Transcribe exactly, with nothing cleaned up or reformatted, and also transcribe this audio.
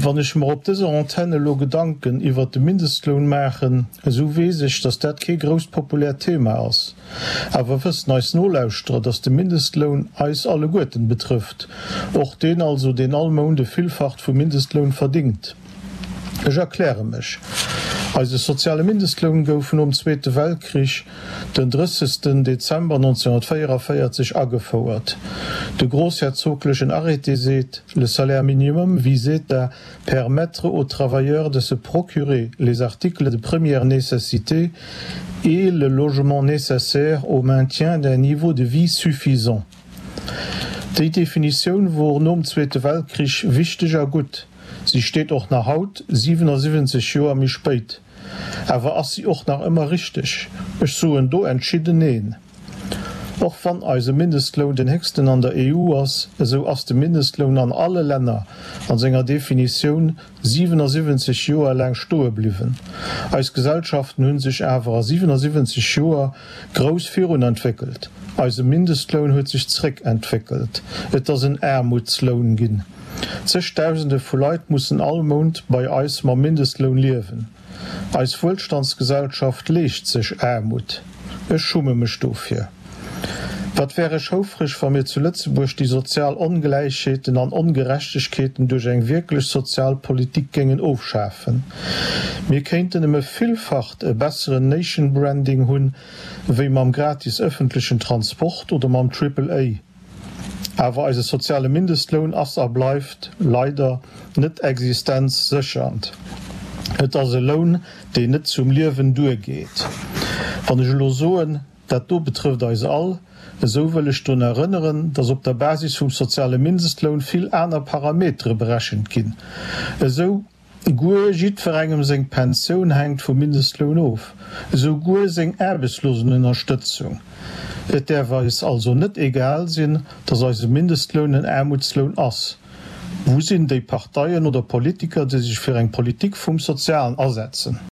Wann ech mer op dëser Antenn elo Gedanken iwwert de Mindestloun maachen, esou weess ech, dass dat kee grousst populäert Thema ass. Awer wëssen eis Nolauschterer, dass de Mindestloun eis alleguerten betrëfft, och deen also, deen all Mount e Villfacht vum Mindestloun verdingt? Ech erkläre mech, Eise soziale Mindestloun gouf nom Zweete Weltkrich den drëssegsten Dezember nonzénhunnertvéieranvéierzeg agefouert. De grossherzoglechen Arrêté seet, Le salaire minimum visait à permettre aux travailleurs de se procurer les articles de première nécessité et le logement nécessaire au maintien d'un niveau de vie suffisant. Déi Definitioun wor nom Zweete Weltkrich wichteg a gutt. Si steet och nach haut, siwenasiwwenzeg Joer méi spéit. Awer ass si och nach ëmmer richteg? Ech soen do entschidden neen. Och wann eise Mindestloun den héchsten an der E U ass, esou ass de Mindestloun an alle Länner an senger Definitioun siwenasiwwenzeg Joer laang stoe bliwwen. Eis Gesellschaften hu sech awer a siwenasiwwenzeg Joer grouss virun entwéckelt. Eise Mindestloun huet sech zréckentwéckelt. Et ass en Aarmutsloun ginn. Zegdausende vu Leit mussen all Mount bei eis mam Mindestloun liewen. Eis Wuelstandsgesellschaft leescht sech Aarmut. Ech schumme mech dofir. Wat wär ech houfreg, wa mir zu Lëtzebuerg déi sozial Ongläichheeten an Ongerechtegkeeten duerch eng wierklech sozial Politik géingen ofschafen. Mir kéinten ëm e Villfacht e besseren Nation Branding hunn, wéi mam gratis ëffentlechen Transport oder mam Triple A. Awer eise soziale Mindestloun ass a bleift leider net existenzséchernd. Et ass e Loun, deen net zum Liewen duergeet. Wann ech elo soen, dat do betrëfft eis all, esou wëll ech drun erënneren, dass op der Basis vum soziale Mindestloun vill aner Parametere berechent ginn. Esou guer jiddwerengem seng Pensioun hänkt vum Mindestloun of, esou guer seng Aarbechtslosenënnerstëtzung. Et däerf eis also net egal sinn, dass eise Mindestloun en Aarmutsloun ass. Wou sinn déi Parteien oder Politiker, déi sech fir eng Politik vum Sozialen asetzen?